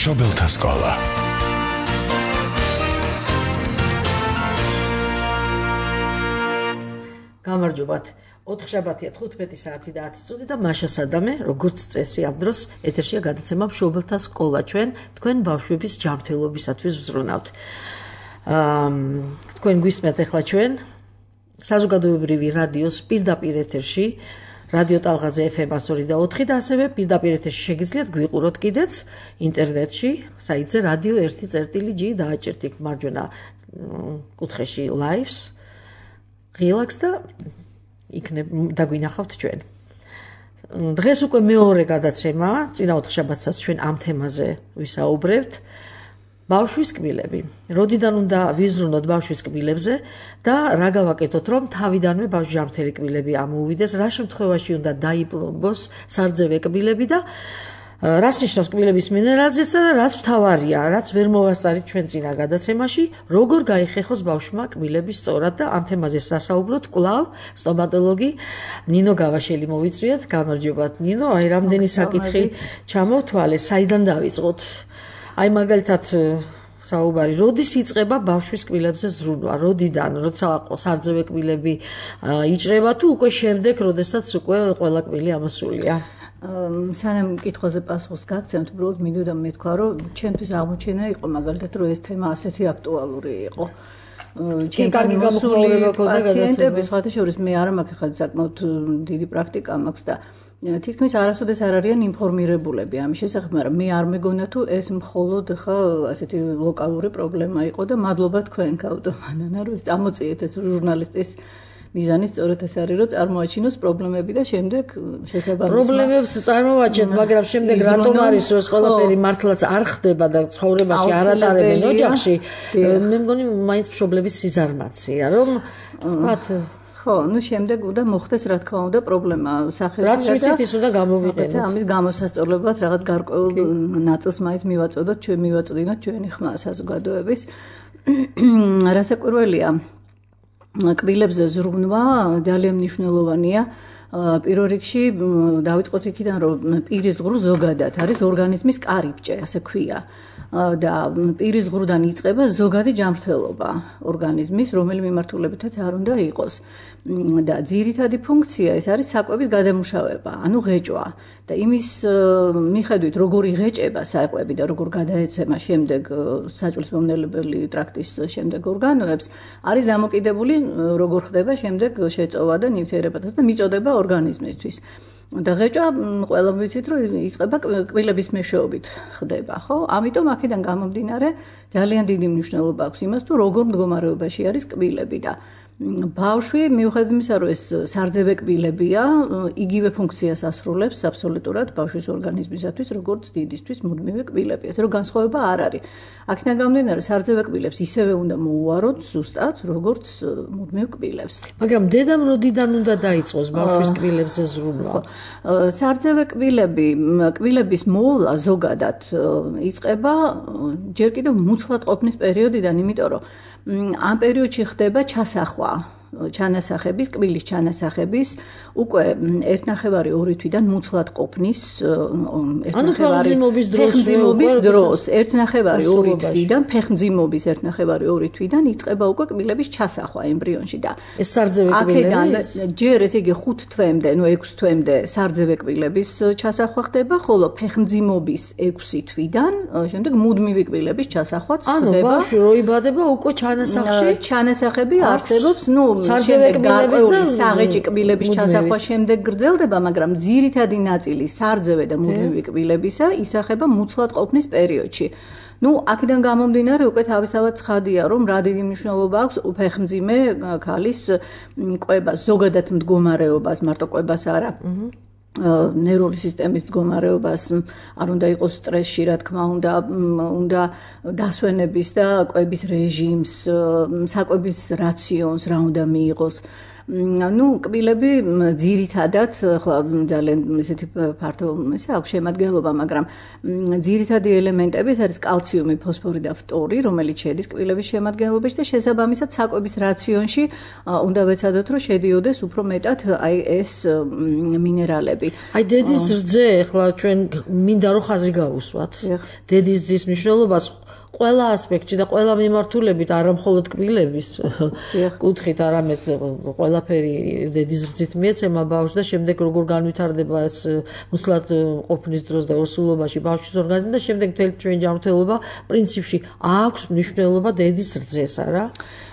მშობელთა სკოლა. გამარჯობათ. 4 შაბათია 15 საათი და 10 წუთი და მაშა სადამე, როგორც წესი ამ დროს ეთერშია გადაცემა მშობელთა სკოლა. ჩვენ თქვენ ბავშვების ჯანმრთელობისათვის ვზრუნავთ. თქვენ გვისმენთ ახლა ჩვენ საზოგადოებრივი რადიოს პირდაპირ ეთერში, რადიო ტალღაზე FM 102.4 და ასევე პირდაპირ ეთერში შეგიძლიათ გვიყუროთ კიდეც ინტერნეტში, საიტზე radio 1.g დააჭერთ იქ მარჯვენა კუთხეში lives. ღილაკს და იქნებ დაგვინახავთ ჩვენ. დღეს უკვე მეორე გადაცემა, წინა 4 შაბათსაც ჩვენ ამ თემაზე ვისაუბრებთ. ბავშვის კბილები. როდიდან უნდა ვიზრუნოთ ბავშვის კბილებზე და რა გავაკეთოთ, რომ თავიდანვე ბავშვის ჯანმრთელი კბილები ამოუვიდეს, რა შემთხვევაში უნდა დაიპლომბოს სარძევე კბილები და რას ნიშნავს კბილების მინერალიზაცია და რაც მთავარია, რაც ვერ მოვასწარით ჩვენ წინა გადაცემაში, როგორ გაიხეხოს ბავშვმა კბილები სწორად და ამ თემაზე სასაუბროთ კვლავ სტომატოლოგი ნინო გავაშელი მოვიწვიეთ. გამარჯობათ ნინო, აი რამდენი საკითხი ჩამოვთვალე, საიდან დავიწყოთ? აი მაგალითად საუბარი, როდის იწყება ბავშვის კბილებზე ზრუნვა? როდიდან, როცა სარძევე კბილები იჭრება თუ უკვე შემდეგ, როდესაც უკვე ყველა კბილი ამოსულია? სანამ კითხვაზე პასუხს გაგცემთ, უბრალოდ მინდოდა მეთქვა, რომ ჩემთვის აღმოჩენა იყო მაგალითად, რომ ეს თემა ასეთი აქტუალური იყო. კარგი გამოხმაურება ქონდა პაციენტების სხვათა შორის მე არ მაქვს ხა საკმაოდ დიდი პრაქტიკა მაქვს და თითქმის არასოდეს არ არიან ინფორმირებულები ამის შესახებ, მაგრამ მე არ მეგონა თუ ეს მხოლოდ ხა ასეთი ლოკალური პრობლემა იყო და მადლობა თქვენ გავდომანანა, რომ ეს წამოწიეთ ეს ჟურნალისტის მიზანი სწორედ ეს არის, რომ წარმოაჩინოს პრობლემები და შემდეგ შესაბამისად პრობლემებს წარმოვაჩენთ, მაგრამ შემდეგ რატომ არის რომ ეს ყველაფერი მართლაც არ ხდება და ცხოვრებაში არ ატარებენ ოჯახში? მე მგონი მაინც მშობლების სიზარმაცია, რომ თქვათ ხო, ну შემდეგ უნდა მოხდეს რა თქმა უნდა პრობლემა სახეზე. რაც ვიცით ის უნდა გამოვიყენოთ. ამის გამოსასწორებლად რაღაც გარკვეულ ნაწილს მაინც მივაწოდოთ, ჩვენ მივაწოდინოთ ჩვენი ხმა საზოგადოების. რასაკვირველია კბილებზე ზრუნვა ძალიან მნიშვნელოვანია. პირველ რიგში დავიწყოთ იქიდან, რომ პირის ღრუ ზოგადად არის ორგანიზმის კარიბჭე, ასე ქვია. და პირის ღრუდან იწყება ზოგადი ჯანმრთელობა ორგანიზმის, რომელი მიმართულებითაც არ უნდა იყოს. და ძირითადი ფუნქცია ეს არის საკვების გადამუშავება, ანუ ღეჭვა. და იმის მიხედვით, როგორი ღეჭება საკვები და როგორ გადაეცემა შემდეგ საჭმლის მომნელებელი ტრაქტის შემდეგ ორგანოებს, არის დამოკიდებული როგორ ხდება შემდეგ შეწოვა და ნივთიერებათა და მიწოდება ორგანიზმისთვის. და ღეჭვა ყველამ ვიცით, რომ იწყება კბილების მეშვეობით ხდება, ხო? ამიტომ აქედან გამომდინარე ძალიან დიდი მნიშვნელობა აქვს იმას, თუ როგორ მდგომარეობაში არის კბილები და ბავშვი მიუხედავად იმისა, რომ ეს სარძევე კბილებია, იგივე ფუნქციას ასრულებს აბსოლუტურად ბავშვის ორგანიზმისათვის, როგორც დიდისთვის მუდმივი კბილები. ასე რომ განსხვავება არ არის. აქედან გამომდინარე, სარძევე კბილებს ისევე უნდა მოუვაროთ ზუსტად, როგორც მუდმივ კბილებს. მაგრამ დედამ როდიდან უნდა დაიწყოს ბავშვის კბილებზე ზრუნვა? სარძევე კბილების მოვლა ზოგადად იწყება ჯერ კიდევ მუცლად ყოფნის პერიოდიდან, იმიტომ რომ ამ პერიოდში ხდება ჩასახვა ჩანასახების, კბილის ჩანასახების უკვე 1.5-2 თვიდან მუცლად ყოფნის 1.5-ფეხმძიმობის დროს 1.5-2 თვიდან ფეხმძიმობის 1.5-2 თვიდან იწყება უკვე კბილების ჩასახვა ემბრიონში და ეს სარძევე კბილები ჯერ ესე იგი 5 თვემდე, 6 თვემდე სარძევე კბილების ჩასახვა ხდება, ხოლო ფეხმძიმობის 6 თვიდან შემდეგ მუდმივი კბილების ჩასახვაც ხდება. ანუ ბავშვი რო იბადება უკვე ჩანასახები არსებობს, სარძევე კბილების და საღეჭი კბილების ჩასახვა შემდეგ გრძელდება, მაგრამ ძირითადი ნაწილი სარძევე და მუდმივი კბილებისა ისახება მუცლად ყოფნის პერიოდში. აქედან გამომდინარე უკვე თავისთავად ცხადია, რომ რა დიდი მნიშვნელობა აქვს ფეხმძიმე ქალის კვებას, ზოგადად მდგომარეობას, მარტო კვებას არა. ნერვული სისტემის მდგომარეობას, არ უნდა იყოს სტრესში, რა თქმა უნდა დასვენების და კვების რეჟიმს, საკვების რაციონს რა უნდა მიიღოს. ნუ კბილები ძირითადად ახლა ძალიან ისეთი ფართო ისე აქვს შემადგენლობა, მაგრამ ძირითადი ელემენტები ეს არის კალციუმი, ფოსფორი და ფტორი, რომელიც შედის კბილების შემადგენლობაში და შესაბამისად საკვების რაციონში უნდა ვეცადოთ, რომ შედიოდეს უფრო მეტად აი ეს მინერალები. აი დედის რძე, ახლა ჩვენ მინდა რომ ხაზი გავუსვათ. დედის რძის მნიშვნელობას ყველა ასპექტში და ყველა მიმართულებით, არა მხოლოდ კბილების კუთხით, არამედ ყველაფერი დედის რძით მიეცემა ბავშვს და შემდეგ როგორ განვითარდება ეს მუსლად ყოფნის დროს და ორსულობაში ბავშვის ორგანიზმი და შემდეგ მთელი ჩვენი ჯანმრთელობა პრინციპში აქვს მნიშვნელობა დედის რძეს, არა?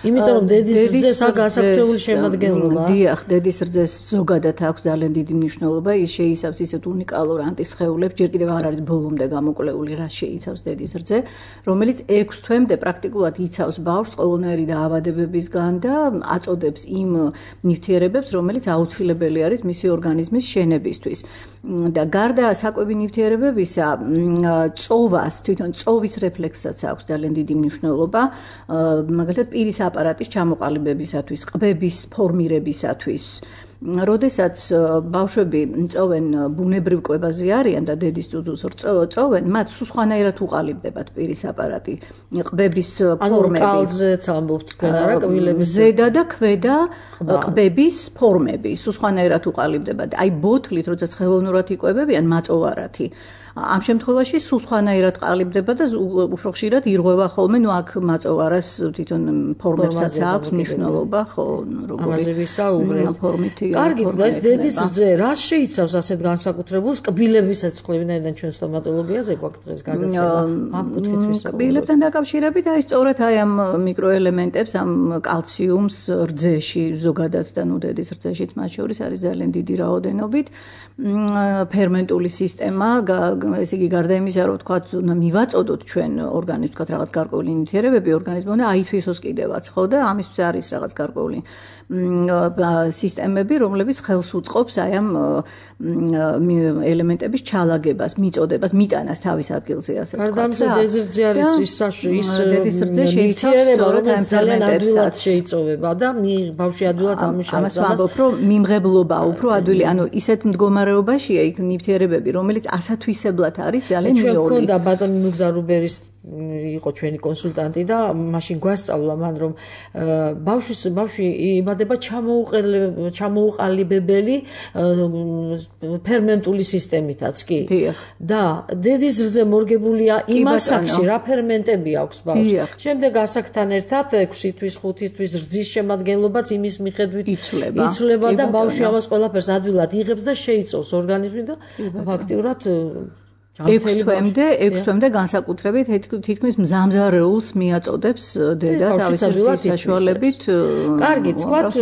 იმიტომ რომ დედის რძეს აქვს განსაკუთრებული შემადგენლობა. დიახ, დედის რძეს ზოგადად აქვს ძალიან დიდი მნიშვნელობა. ის შეიცავს ისეთ უნიკალურ ანტისხეულებს, ჯერ კიდევ არ არის ბოლომდე გამოკვლეული, რაც შეიცავს დედის რძე, რომელიც 6 თვემდე პრაქტიკულად იცავს ბავშვს ყოველნაირი დაავადებებისგან და აწოდებს იმ ნივთიერებებს, რომელიც აუცილებელი არის მისი ორგანიზმის შენებისთვის. და გარდა საკვები ნივთიერებებისა, წოვას, თვითონ წოვის რეფლექსსაც აქვს ძალიან დიდი მნიშვნელობა, მაგალითად პირის აპარატის ჩამოყალიბებისათვის, ყბების ფორმირებისათვის. როდესაც ბავშვები წოვენ ბუნებრივ კვებაზე არიან და დედის წუწულს წოვენ, მათ სულ სხვანაირად უყალიბდებათ პირის აპარატი, ყბების ფორმები. ანუ კალზეც ამბობთ თქვენ არა კბილების ზედა და ქვედა ყბების ფორმები სულ სხვანაირად უყალიბდებათ. აი ბოთლით, როდესაც ხელოვნურად იკვებებიან, მაწოვარათი. ამ შემთხვევაში სულ სხვანაირად ყალიბდება და უფრო ხშირად ირღვევა ხოლმე, ნუ აქ მაწოვარას თვითონ ფორმებსაც აქვს მნიშვნელობა, ხო, როგორი ფორმითი. კარგი, ეს დედის რძე რას შეიცავს ასეთ განსაკუთრებულს კბილებისაც ხვდებით ჩვენ სტომატოლოგიაზე გვაქვს დღეს გადაცემა ამ კუთხით ვისაუბრებთ. კბილებთან დაკავშირებით აი სწორედ აი ამ მიკროელემენტებს, ამ კალციუმს რძეში ზოგადად და ნუ დედის რძეშიც მათ შორის არის ძალიან დიდი რაოდენობით. ფერმენტული სისტემა, ესე იგი გარდა იმისა, რომ თქვათ, უნდა მივაწოდოთ ჩვენ ორგანიზმს, თქვათ რაღაც გარკვეული ნივთიერებები, ორგანიზმი უნდა აითვისოს კიდევაც, ხო და ამისთვის არის რაღაც გარკვეული სისტემები, რომლებიც ხელს უწყობს აი ამ ელემენტების ჩალაგებას, მიწოდებას, მიტანას თავის ადგილზე, ასე ვთქვათ. გარდა ამისა, დედის რძე არის ის დედის რძე შეიცავს სწორედ ამ ფერმენტებსაც შეიწოვება და ბავშვი ადვილად ამუშავებს. ამას ვამბობ, რომ მიმღებლობა უფრო ადვილი, ანუ ისეთ მდგომარეობაშია იქ ნივთიერებები, რომელიც ასათვისებლად არის ძალიან მიული. ჩვენ გვქონდა ბატონი ნუგზარუბერის იყო ჩვენი კონსულტანტი და მაშინ გვასწავლა მან რომ ბავშვი იმადება ჩამოუყალიბებელი ფერმენტული სისტემითაც კი და დედის რძე მორგებულია იმ ასაკში რა ფერმენტები აქვს ბავშვს. შემდეგ ასაკთან ერთად 6 თვის 5 თვის რძის შემადგენლობაც იმის მიხედვით იცვლება და ბავშვი ამას ყველაფერს ადვილად იღებს და შეიცავს ორგანიზმი და ფაქტიურად 6 თვემდე განსაკუთრებით თითქმის მზამზარეულს მიაწოდებს დედა თავის რძის საშუალებით. კარგი, თქვათ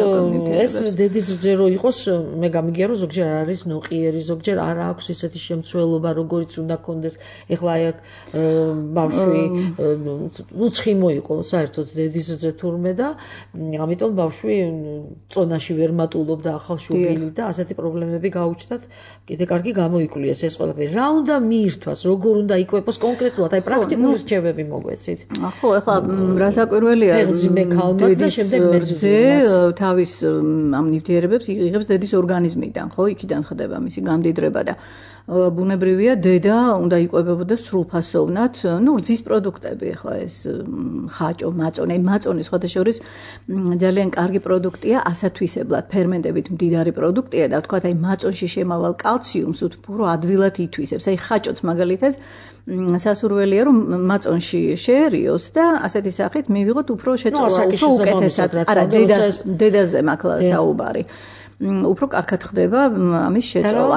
ეს დედის რძე რო იყოს, მე გამიგია რომ ზოგჯერ არის ნოყიერი, ზოგჯერ არ აქვს ისეთი შემცველობა, როგორიც უნდა კონდეს. ეხლა აი ბავშვი უცხიმო იყო საერთოდ დედის რძე თურმე და ამიტომ ბავშვი წონაში ვერ მატულობდა ახალშობილი და ასეთი პრობლემები გაუჩნდათ. კიდე კარგი გამოიკვლიეს ეს ყველაფერი. რა უნდა ირთვას, როგორ უნდა იკვებოს კონკრეტულად, აი პრაქტიკული რჩევები მოგვეცით. ხო, ეხლა რა საკვირველია, დედის რძე თავის ამ ნივთიერებებს იღებს დედის ორგანიზმიდან, ხო, იქიდან ხდება მისი გამდიდრება და ბუნებრივია დედა უნდა იკვებებოდეს სრულფასოვნად, ნუ რძის პროდუქტები, ეხლა ეს ხაჭო, მაწონი, მაწონი სხვადასხვა ძალიან კარგი პროდუქტია, ასათვისებლად ფერმენტებით მდიდარი პროდუქტია და თქვათ აი მაწონში შემავალ კალციუმს უფრო ადვილად ითვისებს. აი ხაჭოც მაგალითად სასურველია რომ მაწონში შეერიოს და ასეთი სახით მივიღოთ უფრო შეწოვა, უფრო უკეთესად. არა, დედაზე მაქლა საუბარი. უფრო კარგად ხდება ამის შეწოვა.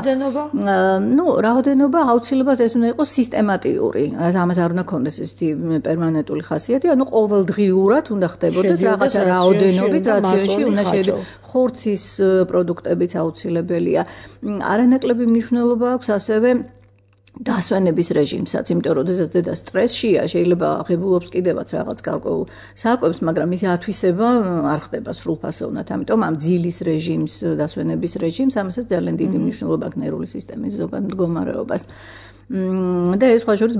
ნუ რაოდენობა აუცილებლად ეს უნდა იყოს სისტემატიური. ამას არ უნდა ქონდეს ესეთი პერმანენტული ხასიათი, ანუ ყოველდღიურად უნდა ხდებოდეს რაღაცა რაოდენობით რაციონში უნდა შედიოდეს. ხორცის პროდუქტებიც აუცილებელია. არანაკლები მნიშვნელობა აქვს ასევე დასვენების რეჟიმსაც, იმიტომ რომ შესაძლოა დედა სტრესშია, შეიძლება ღებულობს კიდევაც რაღაც გარკვეულ საკვებს, მაგრამ მისი ათვისება არ ხდება სრულფასოვნად. ამიტომ ამ ძილის რეჟიმს, დასვენების რეჟიმს, ამასაც ძალიან დიდი მნიშვნელობა აქვს ნერვული სისტემის ზოგად მდგომარეობას. და ეს სხვა შორის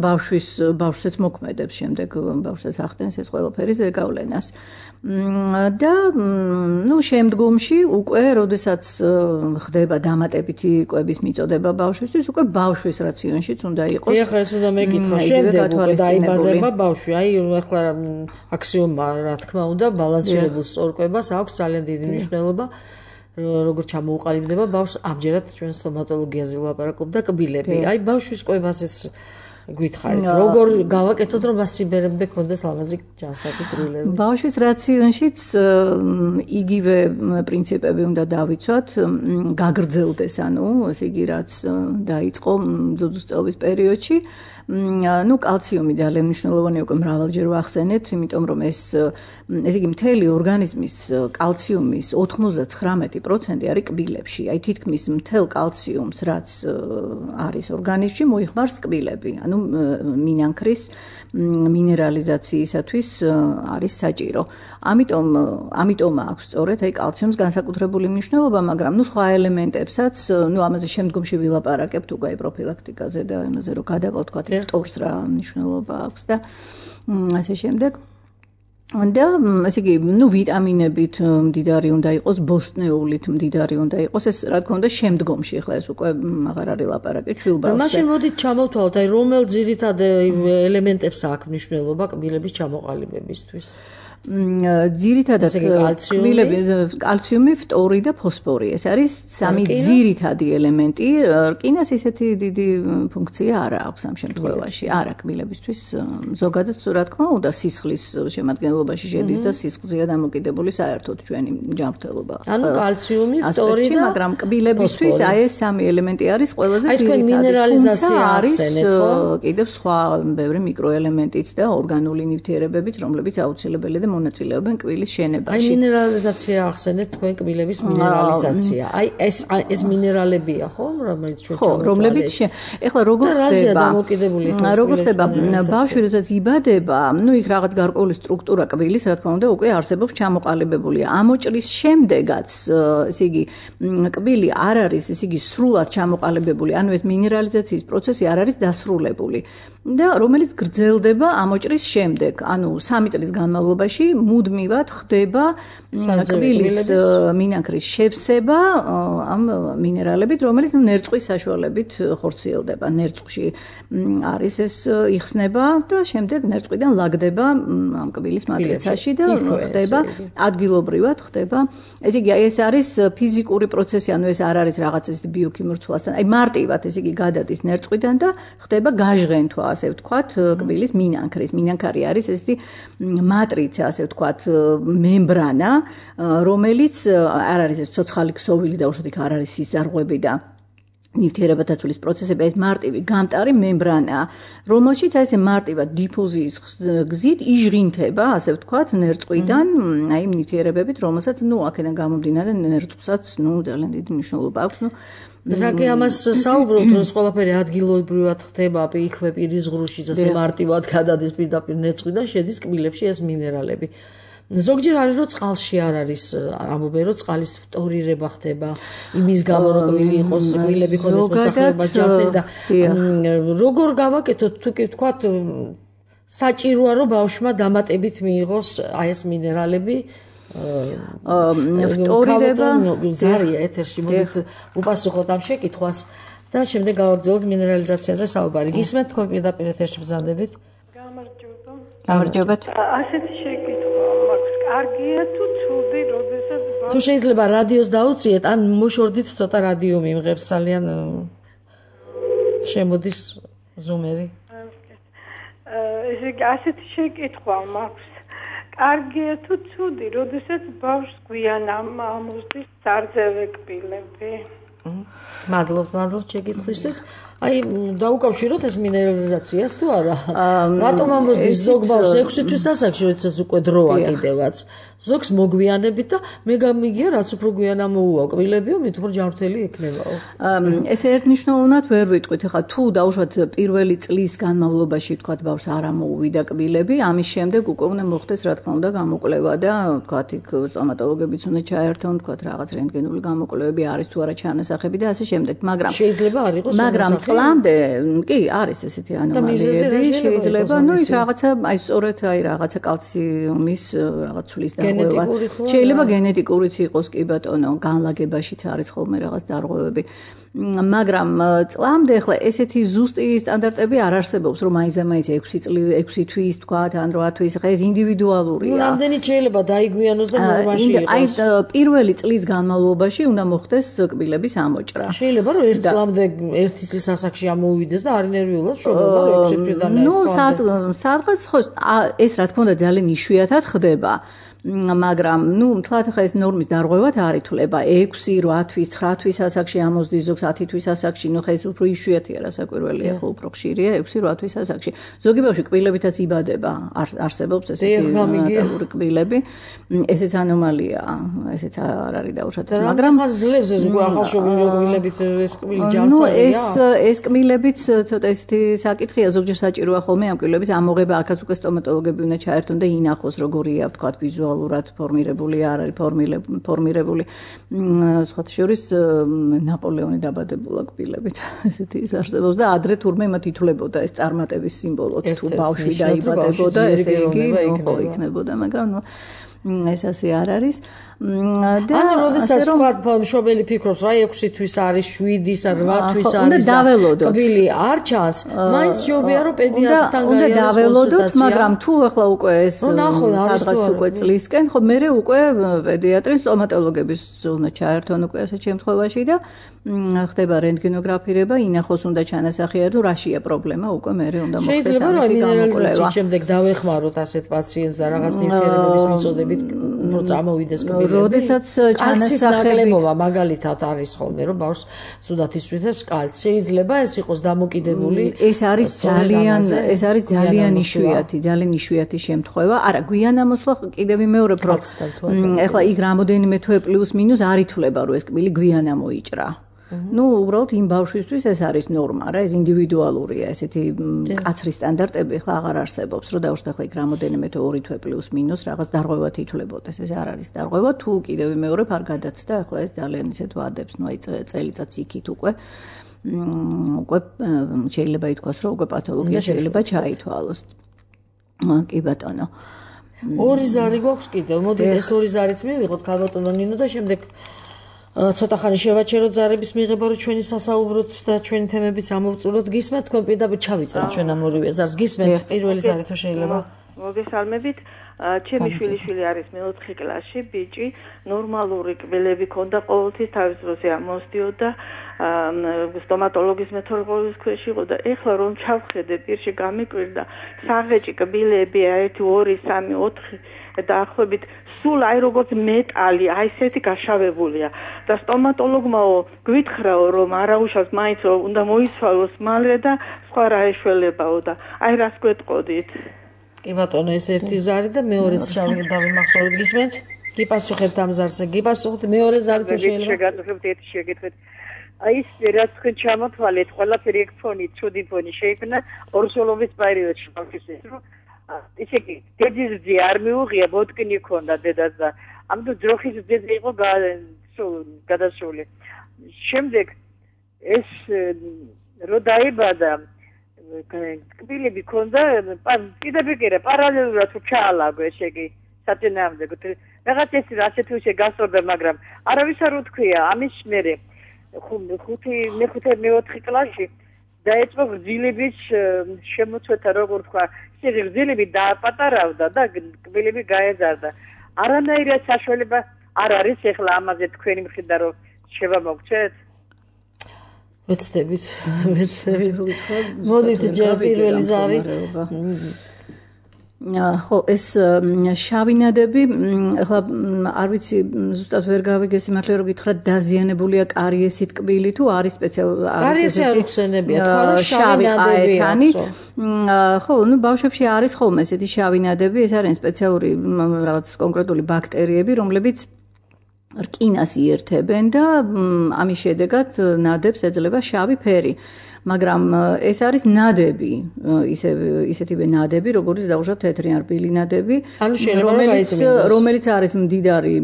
ბავშვსაც მოქმედებს შემდეგ ბავშვს ახდენს ეს ყველაფერი ზეგავლენას და შემდგომში უკვე როდესაც ხდება დამატებითი კვების მიწოდება ბავშვისთვის უკვე ბავშვის რაციონშიც უნდა იყოს ეხლა ეს უნდა მეკითხო შემდეგ უკვე დაიბადება ბავშვი ახლა აქსიომა რა თქმა უნდა ბალანსირებულ სწორკვებას აქვს ძალიან დიდი მნიშვნელობა როგორც ჩამოუყალიბდება ბავშვს ამჯერად ჩვენ სტომატოლოგიაზე ვლაპარაკობ და კბილები აი ბავშვის კვებაზეც გითხარით როგორ გავაკეთოთ რომ მას სიმბერემდე ქონდეს ლამაზი ჯანსაღი კბილები ბავშვის რაციონშიც იგივე პრინციპები უნდა დავიცვათ გაგრძელდეს ანუ ესე იგი რაც დაიწყო ძუძუწეობის პერიოდში კალციუმი ძალიან მნიშვნელოვანია უკვე მრავალჯერ ვახსენეთ, იმიტომ რომ ეს ესე იგი მთელი ორგანიზმის კალციუმის 99% არის კბილებში. აი თითქმის მთელ კალციუმს, რაც არის ორგანიზმში, მოიხმარს კბილები. ანუ მინანქრის მინერალიზაციისათვის არის საჭირო. ამიტომ აქვს სწორედ აი კალციუმს განსაკუთრებული მნიშვნელობა, მაგრამ სხვა ელემენტებსაც, ამაზე შემდგომში ვილაპარაკებთ უკვე პროფილაქტიკაზე და იმაზე რომ გადავალთ თქვა ფტორს რა მნიშვნელობა აქვს და ასე შემდეგ. და ესე იგი, ვიტამინებით მდიდარი უნდა იყოს, ბოსტნეულით მდიდარი უნდა იყოს, ეს რა თქმა უნდა შემდგომში, ახლა ეს უკვე აღარ არის ლაპარაკი ჩვილბავშვზე. მაშინ მოდით ჩამოვთვალოთ, აი რომელ ძირითად ელემენტებს აქვს მნიშვნელობა კბილების ჩამოყალიბებისთვის? ძირითადად კალციუმი, ფტორი და ფოსფორი. ეს არის სამი ძირითადი ელემენტი. რკინას ისეთი დიდი ფუნქცია არ აქვს ამ შემთხვევაში. არა კბილებისთვის ზოგადად რა თქმა უნდა სისხლის შემადგენლობაში შედის და სისხლზეა დამოკიდებული საერთოდ ჩვენი ჯანმრთელობა. ანუ კალციუმი, ფტორი და მაგრამ კბილებისთვის აი ეს სამი ელემენტი არის ყველაზე ძირითადი. აი თქვენ მინერალიზაცია ახსენეთ, ხო? კიდევ სხვა ბევრი მიკროელემენტიც და ორგანული ნივთიერებებიც, რომლებიც აუცილებელია და მონაწილეობენ კბილის შენებაში. აი მინერალიზაცია ახსენეთ თქვენ კბილების მინერალიზაცია. აი ეს მინერალებია, ხო, რომელიც ჩვენ ხო, რომლებიც ეხლა როგორ ხდება ბავშვი როდესაც იბადება, იქ რაღაც გარკვეული სტრუქტურა კბილის, რა თქმა უნდა, უკვე არსებობს ჩამოყალიბებულია. ამოჭრის შემდეგაც, ესე იგი, კბილი არ არის, ესე იგი, სრულად ჩამოყალიბებული, ანუ ეს მინერალიზაციის პროცესი არ არის დასრულებული. და რომელიც გრძელდება ამოჭრის შემდეგ, ანუ 3 წლის განმავლობაში მუდმივად ხდება კბილის მინანქრის შევსება ამ მინერალებით, რომელიც ნერწყვის საშუალებით ხორციელდება. ნერწყვში არის ეს იხსნება და შემდეგ ნერწყვიდან ლაგდება ამ კბილის მატრიცაში და ხდება ადგილობრივად ხდება. ესე იგი, ეს არის ფიზიკური პროცესი, ანუ ეს არ არის რაღაც ეს ბიოქიმიურ ცვლასთან. აი მარტივად ესე იგი გადადის ნერწყვიდან და ხდება გაჟღენთვა, ასე ვთქვათ, კბილის მინანქრის. მინანქარი არის ესეთი მატრიცა, ასე ვთქვათ, მემბრანა, რომელიც არ არის ეს ცოცხალი ქსოვილი და უშუალოდ არ არის სიზარღვები და ნივთიერებათა ცვლის პროცესები, ეს მარტივი გამტარი მემბრანაა, რომელშიც აი ესე მარტივად დიფუზიის გზით იჟღინთება, ასე ვთქვათ, ნერწყვიდან აი იმ ნივთიერებებით, რომელსაც აქედან გამომდინარე ნერწყვსაც ძალიან დიდი მნიშვნელობა აქვს. რაკი ამას საუბრობთ, რომ ყველაფერი ადგილობრივად ხდება, იქვე პირის ღრუში, ასე მარტივად გადადის პირდაპირ ნერწყვიდან, შედის კბილებში ეს მინერალები. ზოგჯერ არის რომ წყალში არ არის, ამბობენ რომ წყალის ფტორირება ხდება, იმის გამო რომ კბილი იყოს, კბილები ხონდეს მოსახლეობას ჯანმრთელი და როგორ გავაკეთოთ, თუ კი ვთქვათ, საჭიროა რომ ბავშვმა დამატებით მიიღოს აი ეს მინერალები. ფტორირება ზარია ეთერში, მოდით უპასუხოთ ამ შეკითხვას და შემდეგ გავაგრძელოთ მინერალიზაციაზე საუბარი. გისმენთ თქვენ პირდაპირ ეთერში ბრძანდებით? გამარჯობათ. ასეთი შეკითხვა მაქვს. კარგია თუ ცუდი, როდესაც თუ შეიძლება რადიოს დაუციეთ, ან მოშორდით ცოტა რადიო მიმღებს, ძალიან შემოდის ზუმერი. ესე იგი, ასეთი შეკითხვა მაქვს. კარგია თუ ცუდი, როდესაც ბავშვს გვიან ამოსდის სარძევე კბილები? მადლობთ შეკითხვისთვის. აი, დაუკავშიროთ ეს მინერალიზაციას თუ არა? რატომ ამოსდის ზოგ ბავშვს 6 თვის ასაკში, როდესაც უკვე დროა კიდევაც. ზოგს მოგვიანებით და მე გამიგია, რაც უფრო გვიან ამოუვა კბილებიო, მით უფრო ჯანმრთელი ექნებაო. ესე ერთნიშნულოვნად ვერ ვიტყვით, ხა თუ დაუშვათ პირველი წლის განმავლობაში თქვათ ბავშვს არ ამოუვიდა კბილები, ამის შემდეგ უკვე უნდა მოხდეს რა თქმა უნდა გამოკვლევა და თქვათ იქ სტომატოლოგებიც უნდა ჩაერთონ, თქვათ რაღაც რენტგენული გამოკვლევები არის თუ არა ჩანასახი. ჩანასახები და ასე შემდეგ, მაგრამ შეიძლება არ იყოს მაგრამ წლამდე კი არის ესეთი ანომალიები, შეიძლება, ну ის რაღაცა, აი სწორედ აი რაღაცა კალციუმის რაღაც ცვლის დარღვევა. შეიძლება გენეტიკურიც იყოს, კი ბატონო, განლაგებაშიც არის ხოლმე რაღაც დარღვევები. მაგრამ წლამდე ახლა ესეთი ზუსტი სტანდარტები არ არსებობს, რომ მაინც 6 თვის თქვათ, ან 8 თვის, ხა ეს ინდივიდუალურია. რამდენი შეიძლება დაიგვიანოს და ნორმაში იყოს. აი პირველი წლის განმავლობაში უნდა მოხდეს კბილების ამოჭრა. შეიძლება რომ ერთ წლამდე ერთი წლის ასაკში ამოვიდეს და არ ნერვიულად შობება 6 თვიდან ერთ წლამდე. ნუ სადღაც ხო ეს რა თქმა უნდა ძალიან იშვიათად ხდება. მაგრამ ნუ მთლად ახლა ეს ნორმის დარღვევად არ ითვლება 6, 8 თვის, 9 თვის ასაკში ამოსდის ზოგს 10 თვის ასაკში, ნუ ხა ეს უფრო იშვიათია რასაკვირველია, ხო უფრო ხშირია 6, 8 თვის ასაკში. ზოგი ბავშვი კბილებითაც იბადება, არსებობს ესეთი ნატურალური კბილები. ესეც ანომალიაა, ესეც არ არის დაუშვათესი, მაგრამ ხა ძლებს ეს უკვე ახალშობილი კბილებით ეს კბილი ჯანსაღია. ნუ ეს კბილებიც ცოტა ესეთი საკითხია, ზოგჯერ საჭიროა ხოლმე ამ კბილების ამოღება, აქაც უკვე სტომატოლოგები უნდა ჩაერთონ და ინახოს როგორია, თქვათ, ვიზუალურად ფორმირებული არ არის ფორმირებული სხვათა შორის ნაპოლეონი დაბადებულა კბილებით ესეთი ის არსებობს და ადრე თურმე მათ ითვლებოდა ეს წარმატების სიმბოლოდ თუ ბავშვი დაიბადებოდა ესე იგი ხო იქნებოდა მაგრამ ნუ ეს ასე არ არის და ანუ როდესაც თქვათ მშობელი ფიქრობს რა 6 თვის არის 7-ის ან 8 თვის არის და კბილი არ ჩანს მაინც ჯობია რომ პედიატრთან უნდა დაველოდოთ მაგრამ თუ ახლა უკვე ეს სადღაც უკვე წლისკენ ხო მე უკვე პედიატრის სტომატოლოგების უნდა ჩაერთონ უკვე ასეთ შემთხვევაში და ხდება რენტგენოგრაფირება ინახოს უნდა ჩანასახიერო თუ რაშია პრობლემა უკვე მე უნდა მოხდეს ამისი გამოკვლევა შემდეგ დავეხმაროთ ასეთ პაციენტს და რაღაც ნივთიერებების მიწოდებით რომ წამოვიდეს კბილები როდესაც ჩანასახლებობა მაგალითად არის ხოლმე რომ ბავშვს სუდათ ისვისებს კალცი შეიძლება ეს იყოს დამოკიდებული ეს არის ძალიან იშვიათი შემთხვევა არა გვიან ამოსვლა კიდევ ვიმეორებ რომ ეხლა იქ რამოდენიმე თვე პლუს მინუს არ ითვლება რომ ეს კბილი გვიან ამოიჭრა ну უბრალოდ იმ ბავშვისთვის ეს არის ნორმა რა ეს ინდივიდუალურია ესეთი კაცრი სტანდარტები ხლა აღარ არსებობს რომ დაუშვათ ახლა იქ რამოდენიმე თვე 2 თვე პლუს მინუს რაღაც დარღვევად ითვლებოდეს ეს არ არის დარღვევა თუ კიდევ ვიმეორებ არ გადაცდა ახლა ეს ძალიან ისეთ ვადებს ну აი წელიწადს იქით უკვე შეიძლება ითქვას რომ უკვე პათოლოგია შეიძლება ჩაითვალოს კი ბატონო ორი ზარი გვაქვს კიდევ მოდი ეს ორი ზარიც მივიღოთ ქალბატონო ნინო და შემდეგ ცოტა ხანი შევაჩეროთ ზარების მიღება რომ ჩვენი სასაუბროთ და ჩვენი თემებიც ამოვწუროთ გისმენთ თქვენ პირდაპირ ჩავიწერთ ჩვენ ამ ორივე ზარს გისმენთ პირველი ზარი თუ შეიძლება მოგესალმებით ჩემი შვილიშვილი არის მე-4 კლასში ბიჭი ნორმალური კბილები ქონდა ყოველთვის თავის დროზე ამოსდიოდა სტომატოლოგის მეთორღოლის ქვეშ იყო და ეხლა რომ ჩავხედე პირში გამიკვირდა საღეჭი კბილები 1 2 3 4 დაახლოებით სულ აი როგორც მეტალი აი ესეთი გაშავებულია და სტომატოლოგმაო გვითხრაო რომ არაუშავს მაინც რომ უნდა მოიცვალოს მალე და სხვა რა ეშველებაო და აი რას გვეტყოდით კი ბატონო ეს ერთი ზარი და მეორეც დავიმახსოვროთ გისმენთ გიპასუხებთ ამ ზარზე გიპასუხოთ მეორე ზარი თუ შეიძლება შეგატყობთ ერთი შეგეთქვით აი ეს რაც თქვენ ჩამოთვალეთ ყველაფერი ეგ ფონი ცუდი ფონი შეიქმნა ორსოლობის პერიოდში ბავშვის რომ ისე კი დედის ძე არ მიუღია ბოტკინი ქონდა დედას და ამიტომ ძროხის ძე იყო გადასული შემდეგ ეს რო დაიბადა კბილები ქონდა კიდევ კიდე პარალელურად ჩაალაგო ესე იგი საწინააღმდეგო რაღაც ეს ასეთი უშე გასწორდა მაგრამ არავის არ უთქვია ამის მერე მე-4 კლასში დაიწყო გრძილების შემოწვეთა როგორ თქვა გრძილები დააპატარავდა და კბილები გაეზარდა არანაირად საშუალება არ არის ეხლა ამაზე თქვენი მხრიდან რომ შევამოგცეთ ვეცდებით მოდით ჯერ პირველი ზარი ხო ეს შავინადები ახლა არ ვიცი ზუსტად ვერ გავიგე სიმართლე რომ გითხრათ დაზიანებულია კარიესით კბილი თუ არის სპეციალური კარიესი არ უხსენებია თქვა რომ შავინადები ხო ნუ ბავშვებში არის ხოლმე ესეთი შავინადები ეს არის სპეციალური რაღაც კონკრეტული ბაქტერიები რომლებიც რკინას იერთებენ და ამის შედეგად ნადებს ეძლევა შავი ფერი მაგრამ ეს არის ნადები, ისეთივე ნადები, როგორც დაუშვათ თეთრი ან რბილი ნადები, რომელიც არის მდიდარი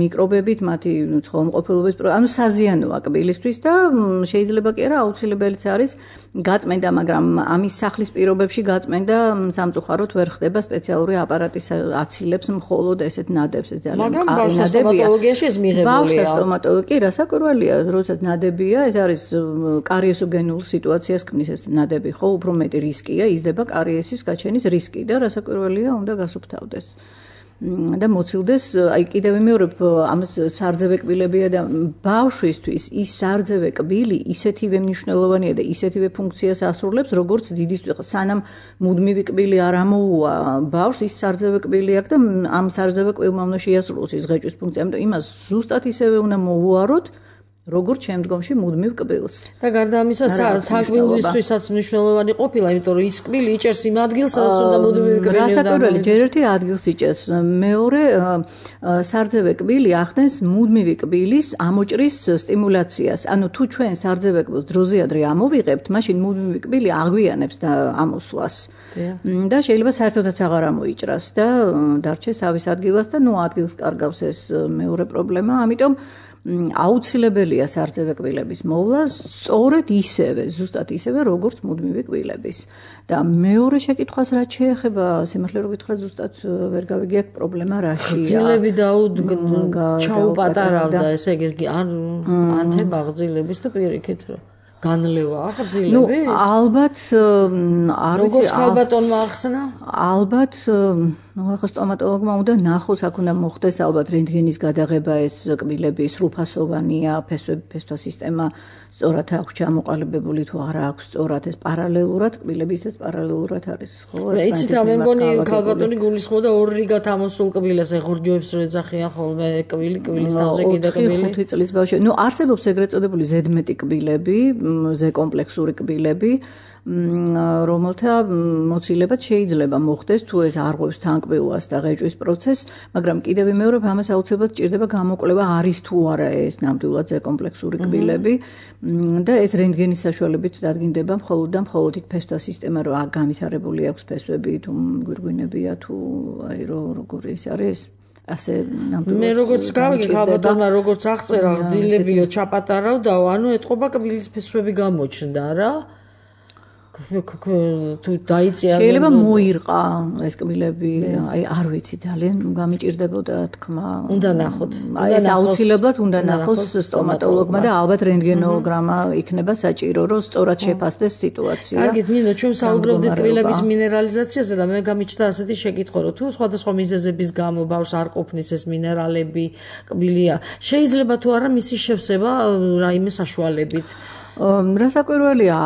მიკრობებით, მათი ცხოველმყოფელობის, ანუ საზიანოა კბილისთვის და შეიძლება კი არა აუცილებელიც არის გაწმენდა, მაგრამ ამის სახლის პირობებში გაწმენდა სამწუხაროდ ვერ ხდება, სპეციალური აპარატის აცილებს მხოლოდ ესეთ ნადებს, ეს ძალიან მყარი ნადებია. მაგრამ სტომატოლოგიაში ეს მიღებულია. ბავშთა სტომატოლოგი რასაკვირველია, როდესაც ნადებია, ეს არის კარიესოგენულ სიტუაციას ქმნის ეს ნადები, ხო, უფრო მეტი რისკია, იზრდება კარიესის გაჩენის რისკი და რასაკვირველია, უნდა გასუფთავდეს. და მოცილდეს, აი კიდევ ვიმეორებ, ამას სარძევე კბილებია და ბავშვისთვის ის სარძევე კბილი ისეთივე მნიშვნელოვანია და ისეთივე ფუნქციას ასრულებს, როგორც დიდი სანამ მუდმივი კბილი არ ამოუვა ბავშვს, ის სარძევე კბილი აქვს და ამ სარძევე კბილმა უნდა შეასრულოს ის ღეჭვის ფუნქცია, ამიტომ იმას ზუსტად ისევე უნდა მოუაროთ, როგორც შემდგომში მუდმივ კბილს. და გარდა ამისა, თაგვილისთვისაც მნიშვნელოვანი ყოფილა, იმიტომ რომ ის კბილი იჭერს იმ ადგილს, სადაც უნდა მუდმივი კბილი. რასაკვირველი, ჯერ ერთი ადგილს იჭერს, მეორე სარძევე კბილი ახდენს მუდმივი კბილის ამოჭრის სტიმულაციას. ანუ თუ ჩვენ სარძევე კბილს დროზიადრე ამოვიღებთ, მაშინ მუდმივი კბილი აღვიანებს და ამოსვლას. და შეიძლება საერთოდაც აღარ ამოიჭრას და დარჩეს თავის ადგილას და ადგილს კარგავს ეს მეორე პრობლემა, ამიტომ აუცილებელია სარძევე კბილების მოვლა სწორედ ისევე, ზუსტად ისევე, როგორც მუდმივი კბილების. და მეორე შეკითხვას რაც შეეხება, სიმართლე რო გითხრათ, ზუსტად ვერ გავიგე აქ პრობლემა რაშია. გრძილები ჩაუპატარავდა, ესე იგი, ანთება გრძილების თუ პირიქით განლევა აღძილები? ალბათ არ ვიცი. როგორც ხალბატონმა ახსნა? ალბათ, ახლა სტომატოლოგმა უნდა ნახოს, აქ უნდა მოხდეს ალბათ რენტგენის გადაღება, ეს კბილები სრულფასოვანია, ფესვთა სისტემა სწორად აქვს ჩამოყალიბებული თუ არა აქვს სწორად, ეს პარალელურად კბილები ისე პარალელურად არის, ხო? იცით რა, მე მგონი ხალბატონი გულისხმობდა ორ რიგად ამოსულ კბილებს, ეხურჯოებს რო ეძახიან ხოლმე კბილის თავზე კიდე კბილი. 5 წლის ბავშვი. არსებობს ეგრეთ წოდებული ზედმეტი კბილები, ზეკომპლექსური კბილები, რომელთა მოცილება შეიძლება მოხდეს თუ ეს არღვევს თანკბილვას და ღეჭვის პროცესს, მაგრამ კიდევ ვიმეორებ, ამას აუცილებლად ჭირდება გამოკვლევა არის თუ არა ეს ნამდვილად ზეკომპლექსური კბილები და ეს რენტგენის საშუალებით დადგინდება მხოლოდ და მხოლოდ ფესვთა სისტემა რო განვითარებული აქვს ფესვები თუ გვირგვინებია თუ აი როგორ ის არის ასე ნამდვილად. მე როგორც გავიგე, ხალბატონმა როგორც აღწერა, გძილებიო ჩაპატარავდაო, ანუ ეთყობა კბილის ფესვები გამოჩნდა რა. თუ დაიწია შეიძლება მოირყა ეს კბილები, აი არ ვიცი, ძალიან გამიჭირდებოდა თქმა. უნდა ნახოთ. აი ეს აუცილებლად უნდა ნახოს სტომატოლოგმა და ალბათ რენტგენოგრამა იქნება საჭირო, რომ სწორად შეფასდეს სიტუაცია. კარგით, ნინო, ჩვენ საუბრობდით კბილების მინერალიზაციაზე და მე გამიჩნდა ასეთი შეკითხვა, რომ თუ სხვადასხვა მიზეზების გამო ბავშვს არ ყოფნის ეს მინერალები, კბილია, შეიძლება თუ არა მისი შევსება რაიმე საშუალებით? რასაკვირველია,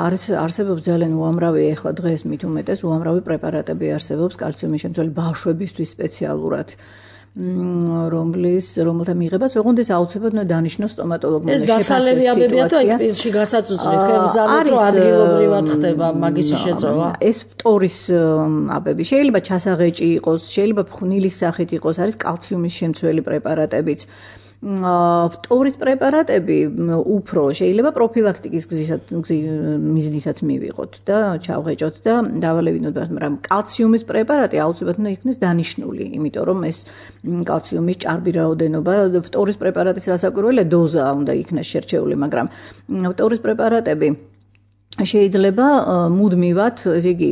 არსებობს ძალიან უამრავი, ეხლა დღეს მით უმეტეს უამრავი პრეპარატები არსებობს კალციუმის შემცველი ბავშვებისთვის სპეციალურად, რომელთა მიღებაც ოღონდ ეს აუცილებლად დანიშნოს სტომატოლოგმა. ეს დასალევი აბებია თუ აი კბილში გასაწუწრით, გემზარდით რომ ადგილობრივად ხდება მაგისი შეწოვა? ეს ფტორის აბები შეიძლება ჩასაღეჭი იყოს, შეიძლება ფხვნილის სახით იყოს, არის კალციუმის შემცველი პრეპარატებიც. ფტორის პრეპარატები უფრო შეიძლება პროფილაქტიკის მიზნითაც მივიღოთ და ჩავღეჭოთ და დავალევინოთ, მაგრამ კალციუმის პრეპარატი აუცილებლად უნდა იქნეს დანიშნული, იმიტომ რომ ეს კალციუმის ჭარბი რაოდენობა ფტორის პრეპარატის რასაკვირველია დოზა უნდა იქნეს შერჩეული, მაგრამ ფტორის პრეპარატები შეიძლება მუდმივად, ესე იგი,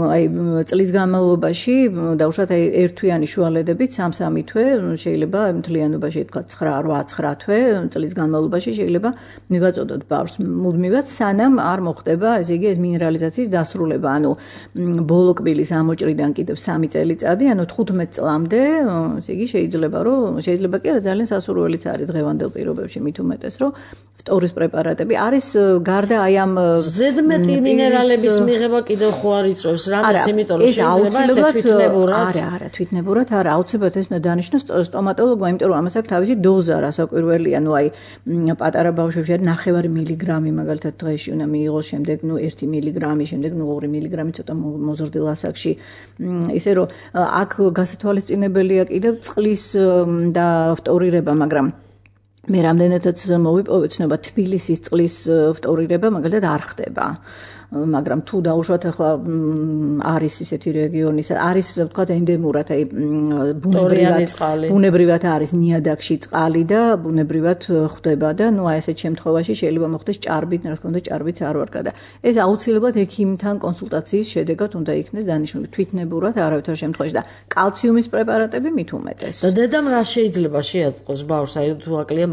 აი წლის განმავლობაში დაუშვათ აი ერთთვიანი შუალედებით 3-3 თვე, შეიძლება მთლიანობაში თქვა 9-8 თვე წლის განმავლობაში შეიძლება მივაწოდოთ ბავშვს მუდმივად, სანამ არ მოხდება, ესე იგი, ეს მინერალიზაციის დასრულება, ანუ ბოლო კბილის ამოჭრიდან კიდევ 3 წელიწადი, ანუ 15 წლამდე, ესე იგი, შეიძლება კი არა, ძალიან სასურველიც არის დღევანდელ პირობებში, მით უმეტეს, რომ ფტორის პრეპარატები არის გარდა აი ამ ზედმეტი მინერალების მიღება კიდევ ხო არ იწევს რამეს, იმიტომ რომ შეიძლება ესე თვითნებურად. არა, თვითნებურად არა, აუცილებლად ეს უნდა დანიშნოს სტომატოლოგმა, იმიტომ რომ ამას აქვს თავისი დოზა, რასაკვირველია, ნუ აი პატარა ბავშვებში არის 9 მილიგრამი მაგალითად დღეში უნდა მიიღოს, შემდეგ 1 მილიგრამი, შემდეგ 2 მილიგრამი ცოტა მოზრდილ ასაკში. ისე რომ აქ გასათვალისწინებელია კიდევ წყლის და ფტორირება, მაგრამ მე რამდენადაც მოვიპოვე ცნობა თბილისის წყლის ფტორირება მაგალითად არ ხდება. მაგრამ თუ დაუშვათ ახლა არის ისეთი რეგიონი, არის ვთქვათ ენდემურად, აი ბუნებრივად არის ნიადაგში წყალი და ბუნებრივად ხდება და ნუ აი ესეთ შემთხვევაში შეიძლება მოხდეს ჭარბით, რა თქმა უნდა, ჭარბიც არ ვარ გადა. ეს აუცილებლად ექიმთან კონსულტაციის შედეგად უნდა იქნეს დანიშნული, თვითნებურად არავითარ შემთხვევაში და კალციუმის პრეპარატები მით უმეტეს. და დედამ რა შეიძლება შეატყოს ბავშვს, აი თუ აკლია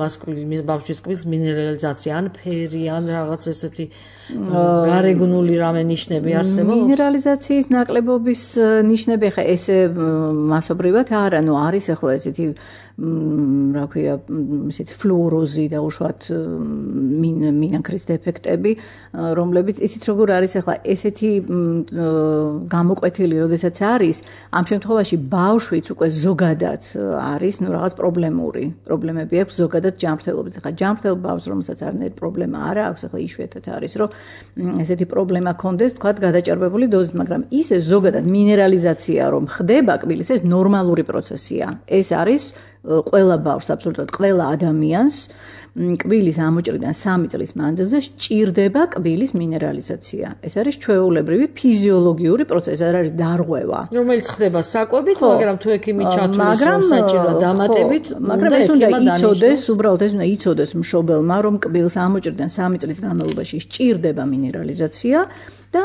ბავშვის კბილს მინერალიზაცია, ან ფერი, ან რაღაც ესეთი გარეგნული რამე ნიშნები არსებობს? მინერალიზაციის ნაკლებობის ნიშნები ხა ესე მასობრივად არა, ნუ არის ახლა ესეთი რა ქვია, ესეთი ფლუოროზი და უშუალოდ მინანქრის დეფექტები, რომლებიც ისიც როგორ არის ახლა ესეთი გამოკვეთილი, როდესაც არის, ამ შემთხვევაში ბავშვიც უკვე ზოგადად არის, ნუ რაღაც პრობლემები აქვს ზოგადად ჯანმრთელობით. ახლა ჯანმრთელ ბავშვს, რომელსაც არანაირი პრობლემა არ აქვს, ახლა იშვიათად არის, რომ ესეთი პრობლემა ქონდეს, თქვათ, გადაჭარბებული დოზით, მაგრამ ისე ზოგადად მინერალიზაცია რომ ხდება კბილის, ეს ნორმალური პროცესია. ეს არის ყველა ბავშვს, აბსოლუტურად ყველა ადამიანს კბილის ამოჭრიდან 3 წლის მანძილზე სჭირდება კბილის მინერალიზაცია. ეს არის ჩვეულებრივი ფიზიოლოგიური პროცესი, არ არის დარღვევა. რომელიც ხდება საკვებით, მაგრამ თუ ექიმი ჩათვლის რომ საჭირო დამატებით, მაგრამ ეს უნდა იცოდეს, უბრალოდ ეს უნდა იცოდეს მშობელმა, რომ კბილს ამოჭრიდან 3 წლის განმავლობაში სჭირდება მინერალიზაცია. და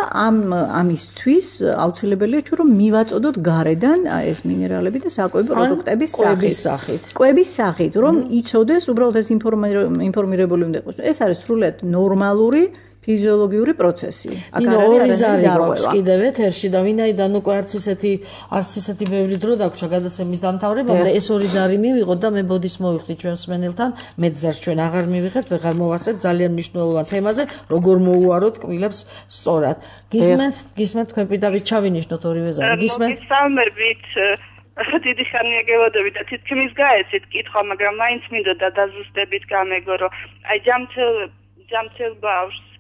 ამისთვის აუცილებელია რომ მივაწოდოთ გარედან ეს მინერალები და საკვები პროდუქტების სახით. კვების სახით, რომ იცოდეს, უბრალოდ ეს ინფორმირებული უნდა იყოს. ეს არის სრულიად ნორმალური ფიზიოლოგიური პროცესი. აქ ორი ზარი გვაქვს კიდევ ეთერში და ვინაიდან უკვე არც ისეთი ბევრი დრო დაგვრჩა გადაცემის დამთავრებამდე, ეს ორი ზარი მივიღოთ და მე ბოდის მოვიხდი ჩვენს მსმენელთან, მეტ ზარს ჩვენ აღარ მივიღებთ, ვეღარ მოვასწრებთ ძალიან მნიშვნელოვან თემაზე, როგორ მოუაროთ კბილებს სწორად. გისმენთ თქვენ პირდაპირ ჩავინიშნოთ ორივე ზარი. გისმენთ? მოგესალმებით. დიდი ხანია გელოდები და თითქმის გაეცით კითხვა, მაგრამ მაინც მინდოდა დაზუსტებით გამეგო, რომ აი ჯამთელ ბავშვს